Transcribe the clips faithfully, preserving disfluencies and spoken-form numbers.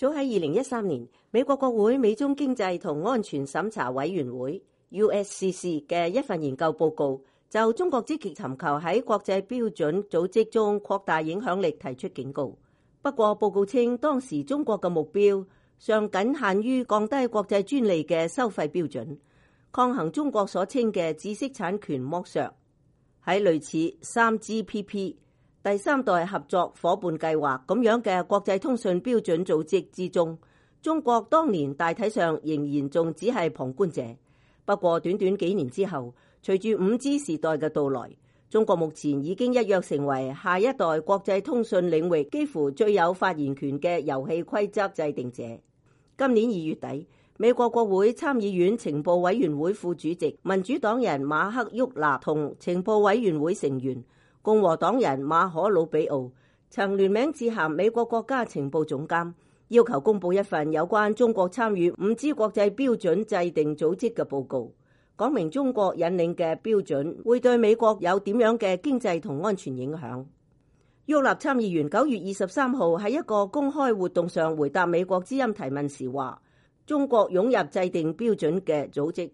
早喺二零一三年，美國國會美中經濟同安全審查委員會 U S C C 嘅一份研究報告，就中國積極尋求喺國際標準組織中擴大影響力提出警告。不過報告稱，當時中國嘅目標尚僅限於降低國際專利嘅收費標準，抗衡中國所稱嘅知識產權剝削。喺類似 三 G P P 第三代合作夥伴計劃咁樣嘅國際通訊標準組織之中，中國當年大體上仍然仲只係旁觀者。不過短短幾年之後，隨住 五 G 時代嘅到來，中國目前已經一躍成為下一代國際通訊領域幾乎最有發言權嘅遊戲規則制定者。今年二月底，美國國會參議院情報委員會副主席民主黨人馬克沃納同情報委員會成員共和黨人馬可魯比奧曾聯名致函美國國家情報總監，要求公布一份有關中國參與 五 G 國際標準制定組織嘅報告，講明中國引領嘅標準會對美國有點樣嘅經濟同安全影響。沃納參議員九月二十三號喺一個公開活動上回答美國之音提問時話，中國湧入制定標準嘅組織，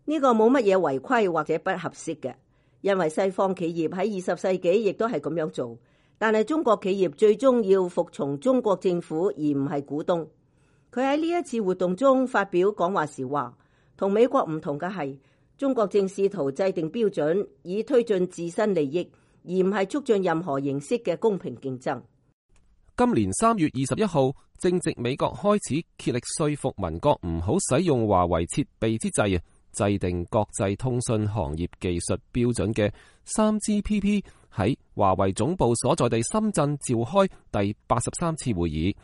呢個冇乜嘢違規或者不合適嘅。因為西方企業喺二十世紀亦都係咁樣做，但係中國企業最終要服從中國政府而唔係股東。佢喺呢一次活動中發表講話時話，同美國唔同嘅係，中國正試圖制定標準以推進自身利益，而唔係促進任何形式嘅公平競爭。今年三月二十一號，正值美國開始竭力說服民國唔好使用華為設備之際，制定國際通訊行業技術標準嘅 三 G P P 喺華為總部所在地深圳召開第八十三次會議，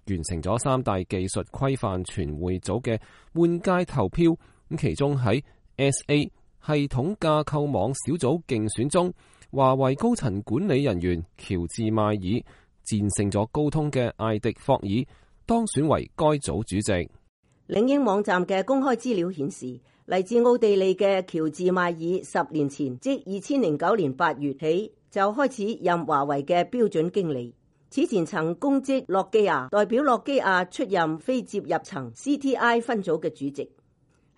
完成咗三大技術規範全會組嘅換屆投票。咁其中喺 S A 系統架構網小組競選中，華為高層管理人員喬治邁爾戰勝咗高通嘅艾迪霍爾，當選為該組主席。領英網站嘅公開資料顯示，嚟自奧地利嘅喬治邁爾十年前，即二千零九年八月起就開始任華為嘅標準經理。此前曾公職諾基亞，代表諾基亞出任非接入層 C T I 分組嘅主席。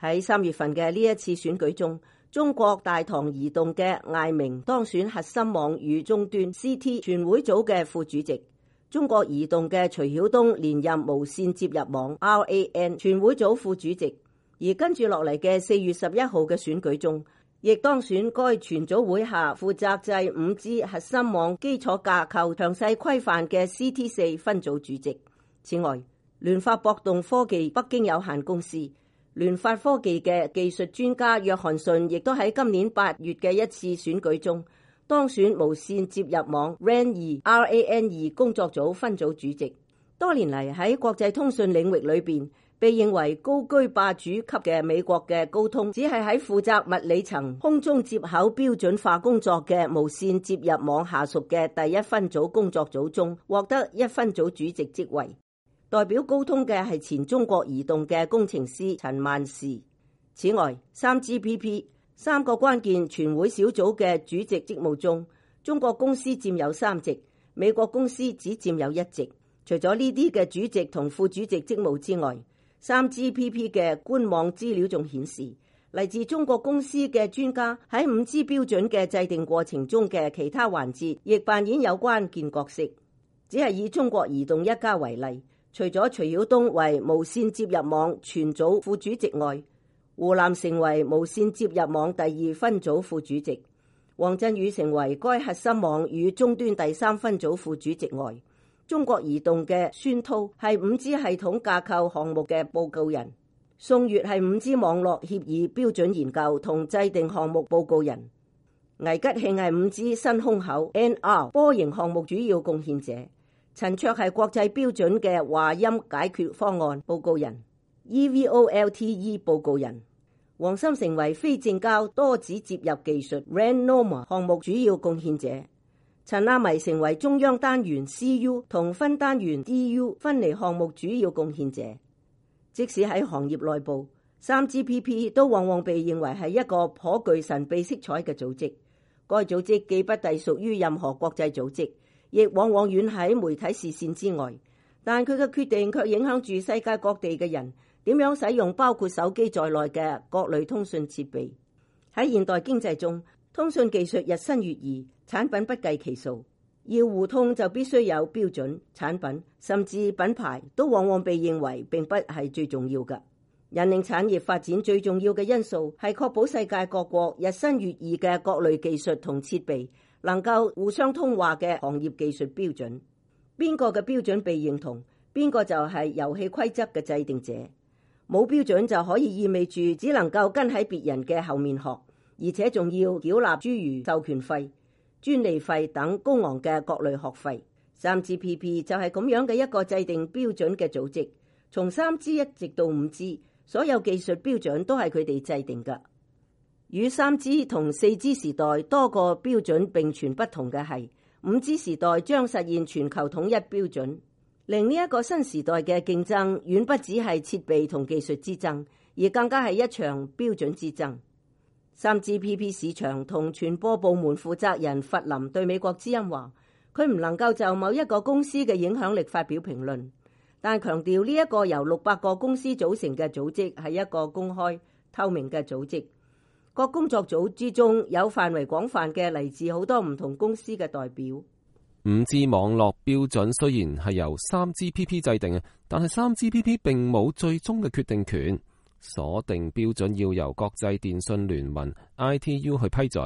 喺三月份嘅呢一次選舉中，中國大唐移動嘅艾明當選核心網與終端 C T 全會組嘅副主席。中國移動嘅徐曉東連任無線接入網 R A N 全會組副主席。而跟住落嚟嘅四月十一號嘅選舉中，亦當選該全組會下負責制 五 G 核心網基礎架構詳細規範嘅 C T 四分組主席。此外，聯發博動科技北京有限公司、聯發科技嘅技術專家約翰遜亦都喺今年八月嘅一次選舉中當選無線接入網 R A N 二 R A N 二工作組分組主席。多年嚟喺國際通訊領域裏邊，被認為高居霸主級嘅美國嘅高通，只係喺負責物理層空中接口標準化工作嘅無線接入網下屬嘅第一分組工作組中獲得一分組主席職位。代表高通嘅係前中國移動嘅工程師陳萬士。此外， 三 G P P 三個關鍵全會小組嘅主席職務中，中國公司佔有三席，美國公司只佔有一席。除咗呢啲嘅主席同副主席職務之外，三 G P P 嘅官網資料仲顯示，嚟自中國公司嘅專家喺 五 G 標準嘅制定過程中嘅其他環節，亦扮演有關鍵角色。只係以中國移動一家為例，除咗徐曉東為無線接入網全組副主席外，胡南成為無線接入網第二分組副主席，王振宇成為該核心網與終端第三分組副主席外，中國移動嘅孫濤係 五 G 系統架構項目嘅報告人，宋月係 五 G 網絡協議標準研究同制定項目報告人，魏吉慶係 五 G 新空口 N R 波形項目主要貢獻者，陳卓係國際標準嘅話音解決方案報告人 E V O L T E 報告人，黃森成為非正交多子接入技術 R A N Norma 項目主要貢獻者，陳亞迷成為中央單元 C U 同分單元 D U 分離項目主要貢獻者。即使喺行業內部， 三 G P P 都往往被認為係一個頗具神秘色彩嘅組織。該組織既不隸屬於任何國際組織，亦往往遠喺媒體視線之外。但佢嘅決定卻影響住世界各地嘅人點樣使用包括手機在內嘅各類通訊設備。喺現代經濟中，通訊技術日新月異，產品不計其數。要互通就必須有標準，產品甚至品牌都往往被認為並不係最重要嘅。引領產業發展最重要嘅因素係確保世界各國日新月異嘅各類技術同設備能夠互相通話嘅行業技術標準。邊個嘅標準被認同，邊個就係遊戲規則嘅制定者。冇標準就可以意味住只能夠跟喺別人嘅後面學，而且仲要繳納諸如授權費、專利費等高昂嘅各類學費。三 G P P 就係咁樣嘅一個制定標準嘅組織，從三 G 一直到五 G， 所有技術標準都係佢哋制定嘅。與三 G 同四 G 時代多個標準並存不同嘅係，五 G 時代將實現全球統一標準，令呢一個新時代嘅競爭遠不只係設備同技術之爭，而更加係一場標準之爭。三 G P P 市場同傳播部門負責人弗林對美國之音話，佢唔能夠就某一個公司嘅影響力發表評論，但強調呢一個由六百個公司組成嘅組織係一個公開透明嘅組織。各工作組之中有範圍廣泛嘅嚟自好多唔同公司嘅代表。五 G 網絡標準雖然係由三 G P P 制定嘅，但係三 G P P 並冇最終嘅決定權。鎖定標準要由國際電訊聯盟 I T U 去批准，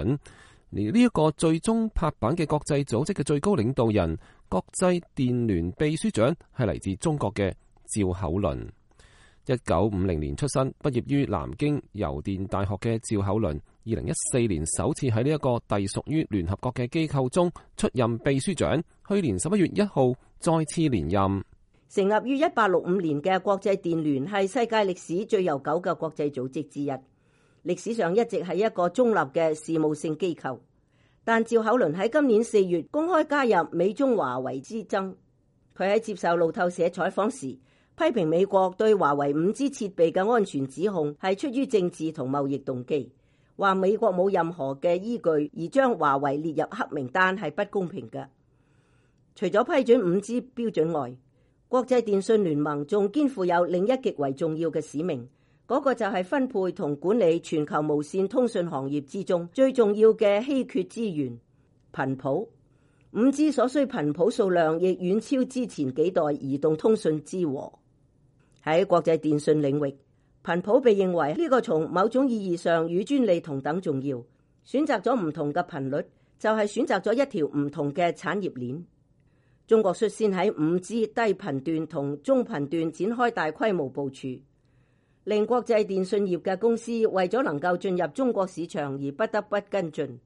而呢一個最終拍板嘅國際組織嘅最高領導人、國際電聯秘書長係嚟自中國嘅趙厚麟。一九五零年出生，畢業於南京郵電大學嘅趙厚麟，二零一四年首次喺呢一個隸屬於聯合國嘅機構中出任秘書長，去年十一月一號再次連任。成立於一八六五年嘅國際電聯係世界歷史最悠久嘅國際組織之一，歷史上一直係一個中立嘅事務性機構。但趙厚麟喺今年四月公開加入美中華為之爭。佢喺接受路透社採訪時，批評美國對華為五 G 設備嘅安全指控係出於政治同貿易動機，話美國冇任何嘅依據而將華為列入黑名單係不公平嘅。除咗批准五 G 標準外，國際電訊聯盟仲肩負有另一極為重要嘅使命，嗰、那個就係分配同管理全球無線通訊行業之中最重要嘅稀缺資源——頻譜。五 G 所需頻譜數量亦遠超之前幾代移動通訊之和。喺國際電訊領域，頻譜被認為呢個從某種意義上與專利同等重要。選擇咗唔同嘅頻率，就係選擇咗一條唔同嘅產業鏈。中國率先喺五 G 低頻段同中頻段展開大規模部署，令國際電訊業嘅公司為咗能夠進入中國市場而不得不跟進。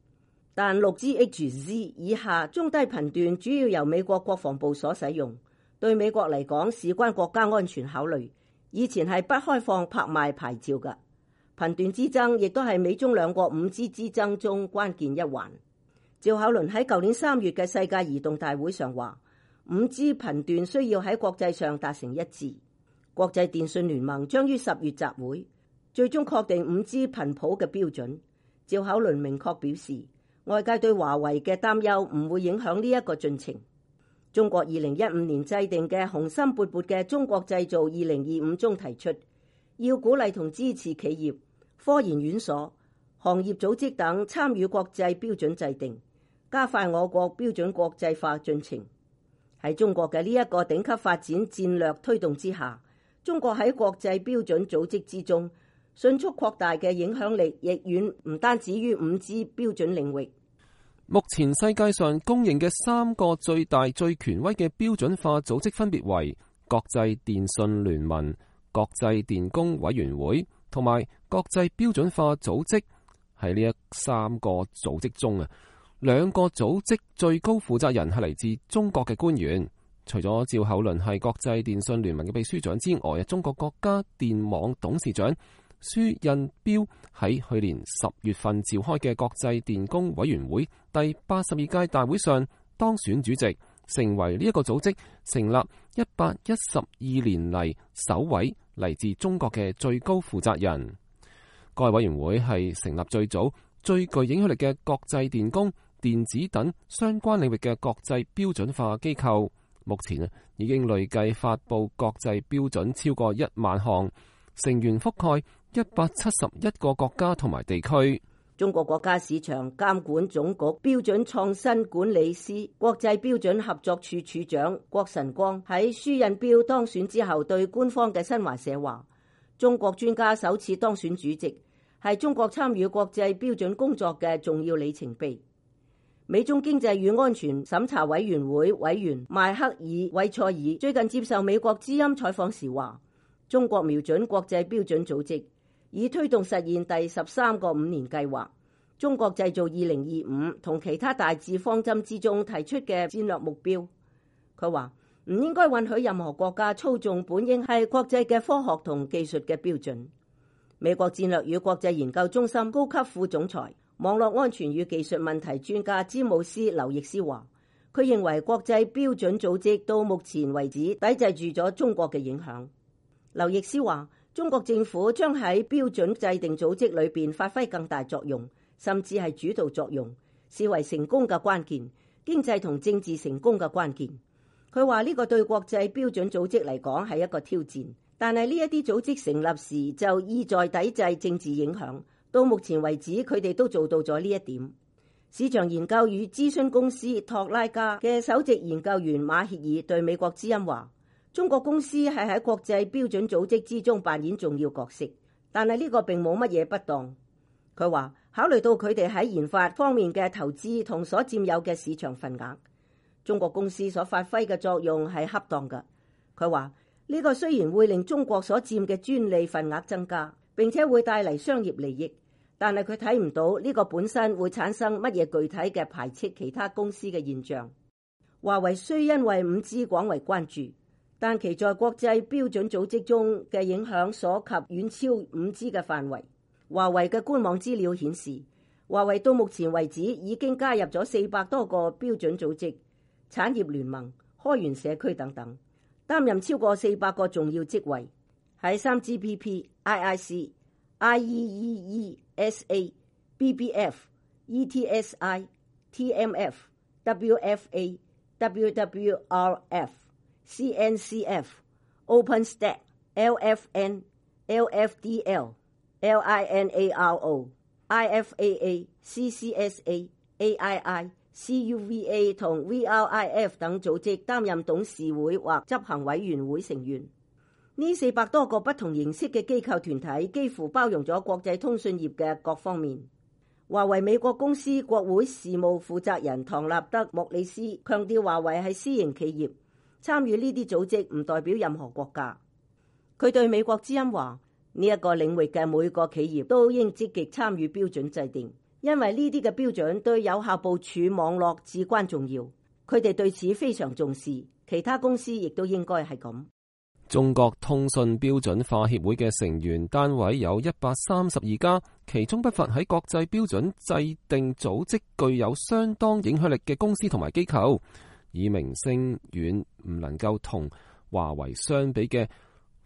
但 六 G H Z 以下中低頻段主要由美國國防部所使用，對美國嚟講事關國家安全考慮，以前係不開放拍賣牌照嘅。頻段之爭亦都係美中兩國五 G 之爭中關鍵一環。趙厚麟喺舊年三月嘅世界移動大會上話，五 G 頻段需要喺國際上達成一致。國際電訊聯盟將於十月集會，最終確定五 G 頻譜嘅標準。趙厚麟明確表示，外界對華為嘅擔憂唔會影響呢一個進程。中國二零一五年制定嘅雄心勃勃嘅中國製造二零二五中提出，要鼓勵同支持企業、科研院所、行業組織等參與國際標準制定，加快我國標準國際化進程。喺中國嘅呢一個頂級發展戰略推動之下，中國喺國際標準組織之中迅速擴大嘅影響力，亦遠唔單止於五 G 標準領域。目前世界上公認嘅三個最大最權威嘅標準化組織分別為國際電訊聯盟、國際電工委員會同埋國際標準化組織。喺呢一三個組織中啊，兩個組織最高負責人係嚟自中國嘅官員。除咗趙厚麟係國際電訊聯盟嘅秘書長之外，中國國家電網董事長舒印彪喺去年十月份召開嘅國際電工委員會第八十二屆大會上當選主席，成為呢一個組織成立一百一十二年嚟首位嚟自中國嘅最高負責人。該委員會係成立最早、最具影響力嘅國際電工、電子等相關領域嘅國際標準化機構，目前啊已經累計發布國際標準超過一萬項，成員覆蓋一百七十一個國家同埋地區。中國國家市場監管總局標準創新管理司國際標準合作處處長郭晨光喺舒印標當選之後，對官方嘅新華社話：中國專家首次當選主席，係中國參與國際標準工作嘅重要里程碑。美中經濟與安全審查委員會委員邁克爾·韋塞爾最近接受美國之音採訪時話：中國瞄準國際標準組織，以推動實現第十三個五年計劃、中國製造二零二五同其他大致方針之中提出嘅戰略目標。佢話唔應該允許任何國家操縱本應係國際嘅科學同技術嘅標準。美國戰略與國際研究中心高級副總裁、網絡安全與技術問題專家詹姆斯·劉易斯話，佢認為國際標準組織到目前為止抵制住咗中國嘅影響。劉易斯話，中國政府將喺標準制定組織裏邊發揮更大作用，甚至係主導作用，視為成功嘅關鍵，經濟同政治成功嘅關鍵。佢話呢個對國際標準組織嚟講係一個挑戰，但係呢一啲組織成立時就意在抵制政治影響。到目前為止，佢哋都做到咗呢一點。市場研究與諮詢公司托拉加嘅首席研究員馬歇爾對美國之音話，中國公司係喺國際標準組織之中扮演重要角色，但係呢個並冇乜嘢不當。佢話考慮到佢哋喺研發方面嘅投資同所佔有嘅市場份額，中國公司所發揮嘅作用係恰當嘅。佢話呢個雖然會令中國所佔嘅專利份額增加，並且會帶嚟商業利益，但係佢睇唔到呢個本身會產生乜嘢具體嘅排斥其他公司嘅現象。華為雖因為五 G 廣為關注，但其在國際標準組織中嘅影響所及遠超五 G 嘅範圍。華為嘅官網資料顯示，華為到目前為止已經加入咗四百多個標準組織、產業聯盟、開源社區等等，擔任超過四百個重要職位。喺 三 G P P、I I C、I E E E、S A、B B F、E T S I、T M F、W F A、W W R F、C N C F、OpenStack、L F N、L F D L、L I N A R O、I F A A、C C S A、A I I、C U V A 同 V R I F 等組織擔任董事會或執行委員會成員。呢四百多個不同形式嘅機構團體幾乎包容咗國際通訊業嘅各方面。華為美國公司國會事務負責人唐納德·莫里斯強調，華為係私營企業，參與呢啲組織唔代表任何國家。佢對美國之音話，呢一個領域嘅每個企業都應積極參與標準制定，因為呢啲嘅標準對有效部署網絡至關重要。佢哋對此非常重視，其他公司亦都應該係咁。中國通訊標準化協會嘅成員單位有一百三十二家，其中不乏喺國際標準制定組織具有相當影響力嘅公司同埋機構。以名聲遠唔能夠同華為相比嘅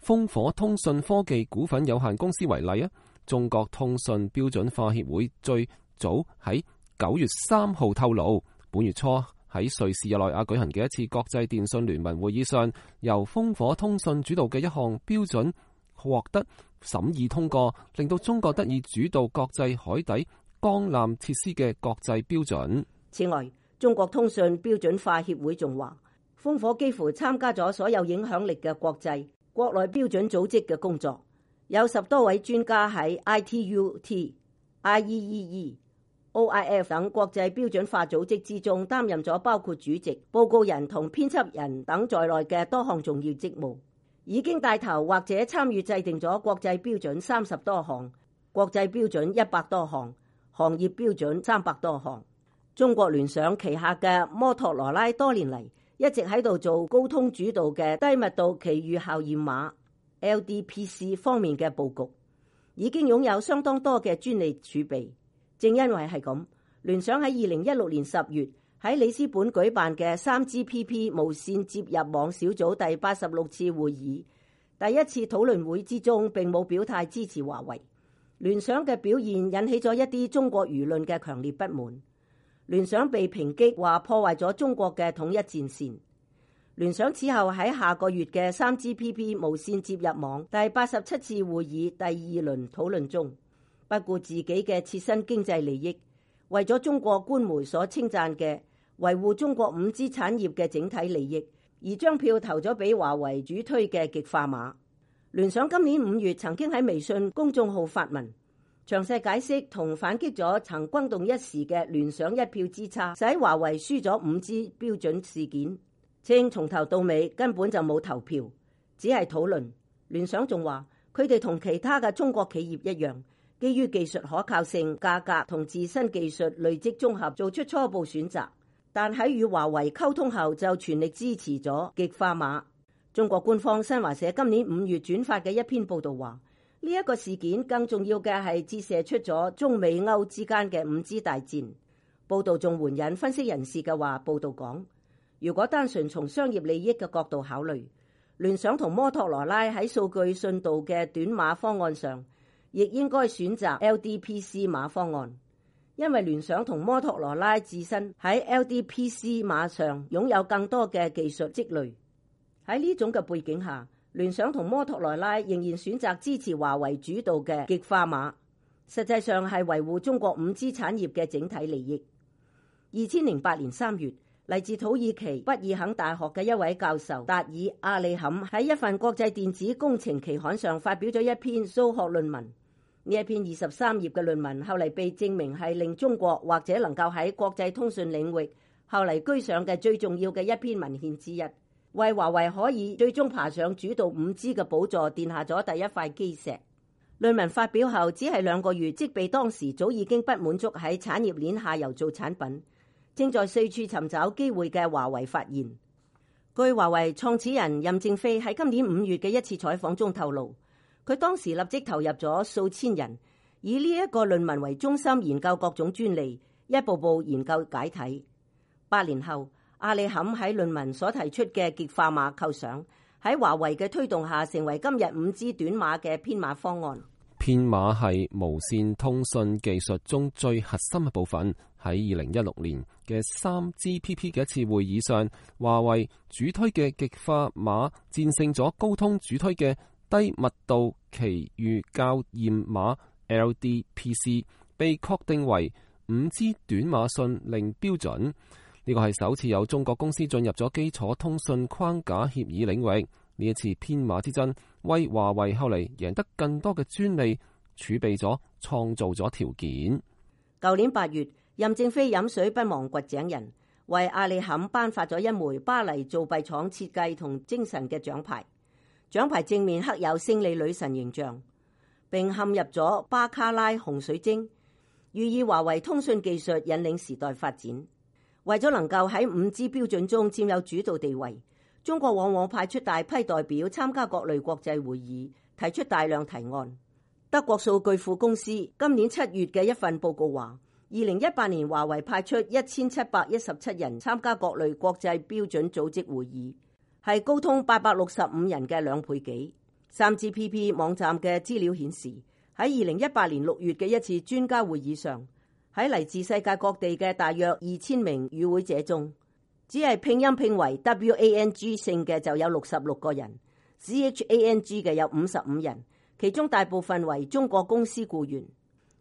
烽火通訊科技股份有限公司為例啊，中國通訊標準化協會最早喺九月三號透露，本月初喺瑞士日內瓦舉行嘅一次國際電信聯盟會議上，由烽火通訊主導嘅一項標準獲得審議通過，令到中國得以主導國際海底光纜設施嘅國際標準。此外，中國通訊標準化協會仲話，烽火幾乎參加咗所有影響力嘅國際、國內標準組織嘅工作，有十多位專家喺 I T U T、I E E E、O I F 等國際標準化組織之中擔任咗包括主席、報告人同編輯人等在內嘅多項重要職務，已經帶頭或者參與制定咗國際標準三十多項、國際標準一百多項、行業標準三百多項。中國聯想旗下嘅摩托羅拉多年嚟一直喺度做高通主導嘅低密度奇遇校驗碼 L D P C 方面嘅佈局，已經擁有相當多嘅專利儲備。正因為係咁，聯想喺二零一六年十月喺里斯本舉辦嘅 三 G P P 無線接入網小組第八十六次會議第一次討論會之中，並冇表態支持華為。聯想嘅表現引起咗一啲中國輿論嘅強烈不滿。聯想被抨擊話破壞咗中國嘅統一戰線。聯想此後喺下個月嘅 三 G P P 無線接入網第八十七次會議第二輪討論中，不顧自己嘅切身經濟利益，為咗中國官媒所稱讚嘅維護中國五 G 產業嘅整體利益，而將票投咗俾華為主推嘅極化碼。聯想今年五月曾經喺微信公眾號發文，詳細解釋同反擊咗曾轟動一時嘅聯想一票之差使華為輸咗五 G 標準事件，稱從頭到尾根本就冇投票，只係討論。聯想仲話佢哋同其他嘅中國企業一樣，基於技術可靠性、價格同自身技術累積綜合做出初步選擇，但喺與華為溝通後就全力支持咗極化碼。中國官方新華社今年五月轉發嘅一篇報道話，呢一個事件更重要嘅係折射出咗中美歐之間嘅五 G 大戰。報道仲援引分析人士嘅話，報道講，如果單純從商業利益嘅角度考慮，聯想同摩托羅拉喺數據信度嘅短碼方案上，亦應該選擇 L D P C 碼方案，因為聯想同摩托羅拉自身喺 L D P C 碼上擁有更多嘅技術積累。喺呢種嘅背景下，聯想同摩托羅拉仍然選擇支持華為主導嘅極化碼，實際上係維護中國五 G 產業嘅整體利益。二千零八年三月，嚟自土耳其畢爾肯大學嘅一位教授達爾阿里坎喺一份國際電子工程期刊上發表咗一篇數學論文。呢一篇二十三頁嘅論文後嚟被證明係令中國或者能夠喺國際通訊領域後嚟居上嘅最重要嘅一篇文獻之一，為華為可以最終爬上主導五 G 嘅寶座奠下咗第一塊基石。論文發表後只係兩個月，即被當時早已經不滿足喺產業鏈下游做產品，正在四處尋找機會嘅華為發現。據華為創始人任正非喺今年五月嘅一次採訪中透露，佢當時立即投入咗數千人，以呢一個論文為中心研究各種專利，一步步研究解體。八年後，阿里坎喺論文所提出嘅極化碼構想，喺華為嘅推動下，成為今日五 G 短碼嘅編碼方案。編碼係無線通訊技術中最核心嘅部分。喺二零一六年嘅三 G P P 嘅一次會議上，華為主推嘅極化碼戰勝咗高通主推嘅低密度奇遇校驗碼 L D P C， 被確定為五 G 短碼信令標準。呢個係首次有中國公司進入咗基礎通訊框架協議領域。呢一次編碼之爭，為華為後嚟贏得更多嘅專利儲備咗，創造咗條件。舊年八月，任正非飲水不忘掘井人，為阿里坎頒發咗一枚巴黎造幣廠設計同精神嘅獎牌。獎牌正面刻有勝利女神形象，並嵌入咗巴卡拉紅水晶，寓意華為通訊技術引領時代發展。為咗能夠喺五 G 標準中佔有主導地位，中國往往派出大批代表參加各類國際會議，提出大量提案。德國數據庫公司今年七月嘅一份報告話，二零一八年華為派出一千七百一十七人參加各類國際標準組織會議，係高通八百六十五人嘅兩倍幾。三 G P P 網站嘅資料顯示，喺二零一八年六月嘅一次專家會議上，喺嚟自世界各地嘅大約二千名與會者中，只係拼音拼為 W A N G 姓嘅就有六十六個人， C H A N G 嘅有五十五人，其中大部分為中國公司僱員。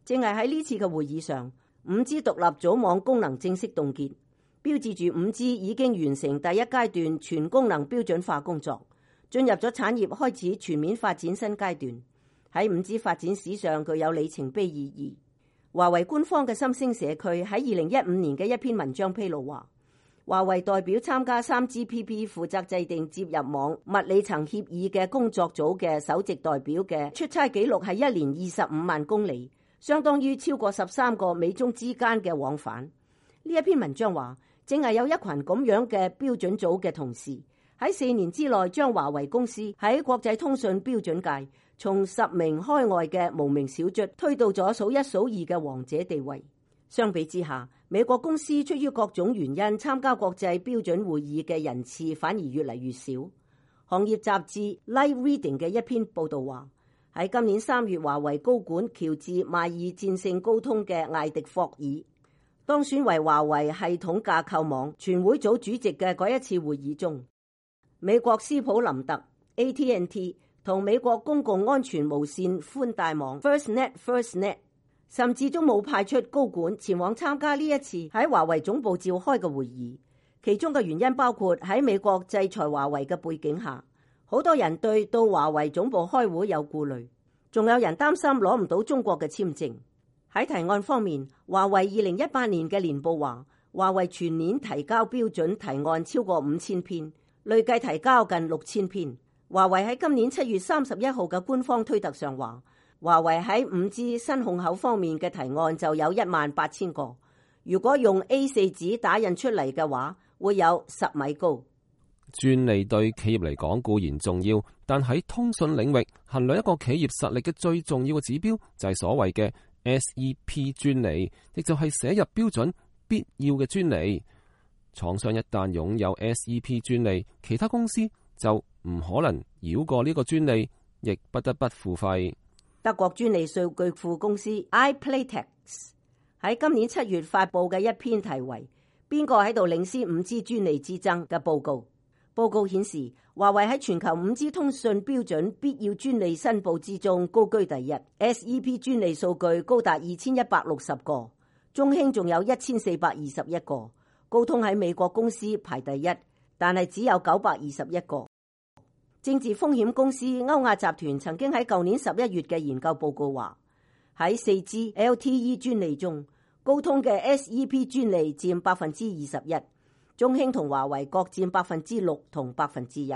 正係喺呢次嘅會議上，五 G 獨立組網功能正式凍結，標誌住五 G 已經完成第一階段全功能標準化工作，進入咗產業開始全面發展新階段，喺五 G 發展史上具有里程碑意義。華為官方嘅心聲社區喺二零一五年嘅一篇文章披露話，華為代表參加 三 G P P 負責制定接入網物理層協議嘅工作組嘅首席代表嘅出差記錄係一年二十五萬公里，相當於超過十三個美中之間嘅往返。呢一篇文章話，正係有一群咁樣嘅標準組嘅同事喺四年之內將華為公司喺國際通訊標準界從十名開外嘅無名小卒推到咗數一數二嘅王者地位。相比之下，美國公司出於各種原因參加國際標準會議嘅人次反而越嚟越少。行業雜誌 Light Reading 嘅一篇報道話，喺今年三月，華為高管喬治邁爾戰勝高通嘅艾迪霍爾，當選為華為系統架構網全會組主席嘅嗰一次會議中，美國斯普林特 A T and T 同美國公共安全無線寬帶網 FirstNet FirstNet， 甚至都冇派出高管前往參加呢一次喺華為總部召開嘅會議。其中嘅原因包括喺美國制裁華為嘅背景下，好多人對到華為總部開會有顧慮，仲有人擔心攞唔到中國嘅簽證。喺提案方面，華為二零一八年嘅年報話，華為全年提交標準提案超過五千篇，累計提交近六千篇。華為喺今年七月三十一號嘅官方推特上話，華為喺五 G 新控口方面嘅提案就有一萬八千個，如果用 A 四 紙打印出嚟嘅話，會有十米高。專利對企業嚟講固然重要，但喺通訊領域衡量一個企業實力嘅最重要嘅指標就係所謂嘅 S E P 專利，亦就係寫入標準必要嘅專利。廠商一旦擁有 S E P 專利，其他公司就唔可能繞過呢個專利，亦不得不付費。德國專利數據庫公司 iPlayTex 喺今年七月發佈嘅一篇題為《邊個喺度領先五 G 專利之爭》嘅報告。報告顯示，華為喺全球五 G 通訊標準必要專利申報之中高居第一 ，S E P 專利數據高達二千一百六十個，中興仲有一千四百二十一個，高通喺美國公司排第一，但係只有九百二十一個。政治風險公司歐亞集團曾經喺舊年十一月嘅研究報告話，喺四 G L T E 專利中，高通嘅 S E P 專利佔百分之二十一。中興同華為各佔百分之六同百分之一。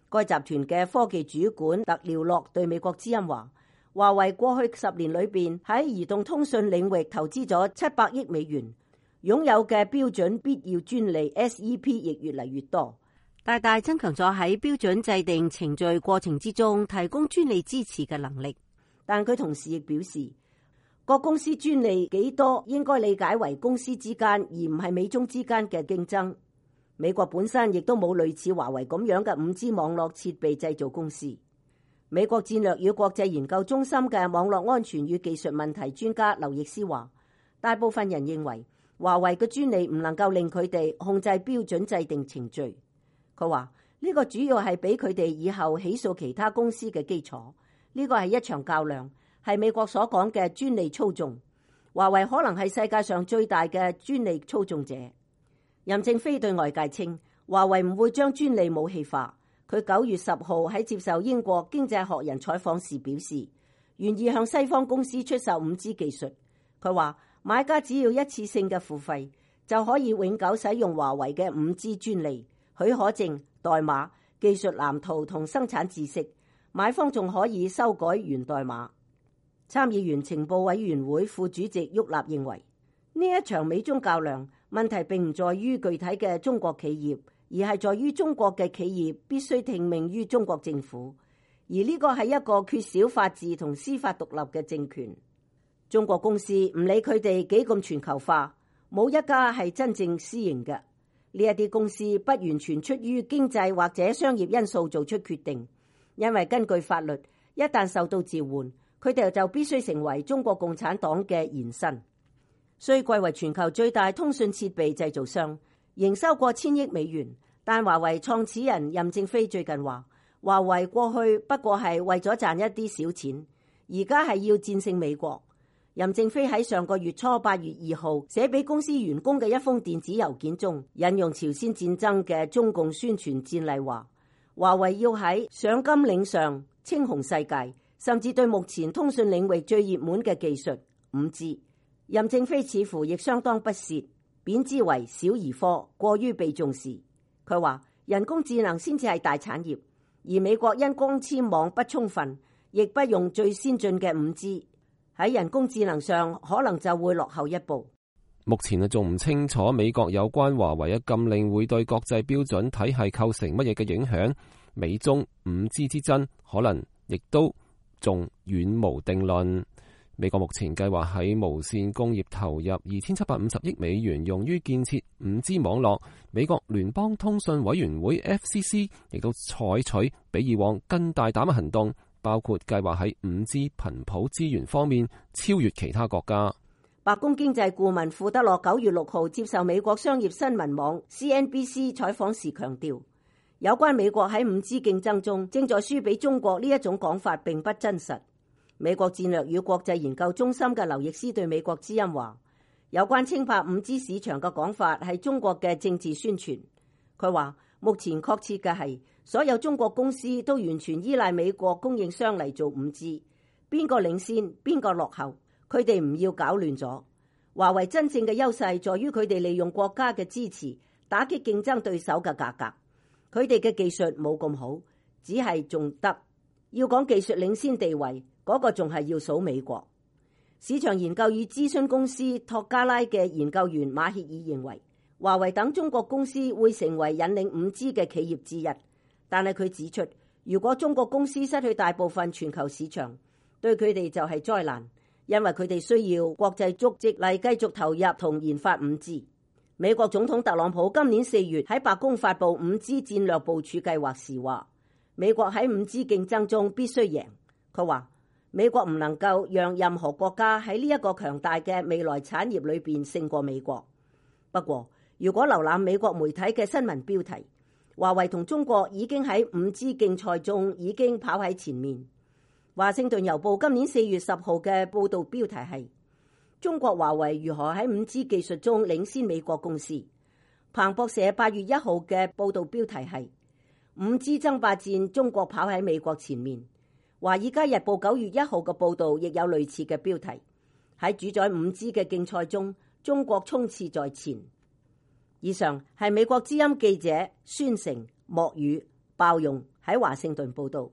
該集團嘅科技主管特廖洛對美國之音話，華為過去十年裏邊喺移動通訊領域投資咗七百億美元，擁有嘅標準必要專利 S E P 亦越嚟越多，大大增強咗喺標準制定程序過程之中提供專利支持嘅能力。但佢同時亦表示，各公司專利幾多應該理解為公司之間，而唔係美中之間嘅競爭。美國本身亦都冇類似華為咁樣嘅五 G 網絡設備製造公司。美國戰略與國際研究中心嘅網絡安全與技術問題專家劉易斯話，大部分人認為華為嘅專利唔能夠令佢哋控制標準制定程序。佢話呢個主要係俾佢哋以後起訴其他公司嘅基礎。呢個係一場較量。係美國所講嘅專利操縱，華為可能係世界上最大嘅專利操縱者。任正非對外界稱，華為唔會將專利武器化。佢九月十號喺接受英國經濟學人採訪時表示，願意向西方公司出售五 G 技術。佢話買家只要一次性嘅付費，就可以永久使用華為嘅五 G 專利、許可證、代碼、技術藍圖同生產知識。買方仲可以修改源代碼。參議員情報委員會副主席沃納認為，呢一場美中較量問題並唔在於具體嘅中國企業，而係在於中國嘅企業必須聽命於中國政府，而呢個係一個缺少法治同司法獨立嘅政權。中國公司唔理佢哋幾咁全球化，冇一家係真正私營嘅。呢一啲公司不完全出於經濟或者商業因素做出決定，因為根據法律，一旦受到召喚，佢哋就必須成為中國共產黨嘅延伸。雖貴為全球最大通訊設備製造商，營收過千億美元，但華為創始人任正非最近話，華為過去不過係為咗賺一啲小錢，而家係要戰勝美國。任正非喺上個月初八月二號寫俾公司員工嘅一封電子郵件中，引用朝鮮戰爭嘅中共宣傳戰例話，華為要喺上甘嶺上稱雄世界，甚至對目前通訊領域最熱門嘅技術五 G， 任正非似乎亦相當不屑，貶之為小兒科，過於被重視。佢話人工智能先至係大產業，而美國因光纖網不充分，亦不用最先進嘅五 G， 喺人工智能上可能就會落後一步。目前啊仲唔清楚美國有關華為嘅禁令會對國際標準體系構成乜嘢嘅影響，美中五 G 之爭可能亦都仲遠無定論。美國目前計劃喺無線工業投入二千七百五十億美元，用於建設五 G 網絡。美國聯邦通訊委員會 F C C 亦都採取比以往更大膽嘅行動，包括計劃喺五 G 頻譜資源方面超越其他國家。白宮經濟顧問庫德洛九月六號接受美國商業新聞網 C N B C 採訪時強調，有關美國喺五 G 競爭中正在輸俾中國呢一種講法並不真實。美國戰略與國際研究中心嘅劉易斯對美國之音話，有關稱霸五 G 市場嘅講法係中國嘅政治宣傳。佢話目前確切嘅係所有中國公司都完全依賴美國供應商嚟做五 G， 邊個領先邊個落後，佢哋唔要搞亂咗。華為真正嘅優勢在於佢哋利用國家嘅支持打擊競爭對手嘅價格。佢哋嘅技術冇咁好，只係仲得。要講技術領先地位，嗰個仲係要數美國。市場研究與諮詢公司托加拉嘅研究員馬歇爾認為，華為等中國公司會成為引領五 G 嘅企業之一。但係佢指出，如果中國公司失去大部分全球市場，對佢哋就係災難，因為佢哋需要國際足跡嚟繼續投入同研發五 G。美國總統特朗普今年四月喺白宮發布五 G 戰略部署計劃時話，美國喺五 G 競爭中必須贏。佢話美國唔能夠讓任何國家喺呢一個強大嘅未來產業裏邊勝過美國。不過，如果瀏覽美國媒體嘅新聞標題，華為同中國已經喺五 G 競賽中已經跑喺前面。華盛頓郵報今年四月十號嘅報道標題係中國華為如何喺五 G 技術中領先美國公司。彭博社八月一號嘅報道標題係五 G 爭霸戰，中國跑喺美國前面。華爾街日報九月一號嘅報道亦有類似嘅標題，喺主宰五 G 嘅競賽中，中國衝刺在前。以上係美國之音記者孫成、莫宇、鮑勇喺華盛頓報道。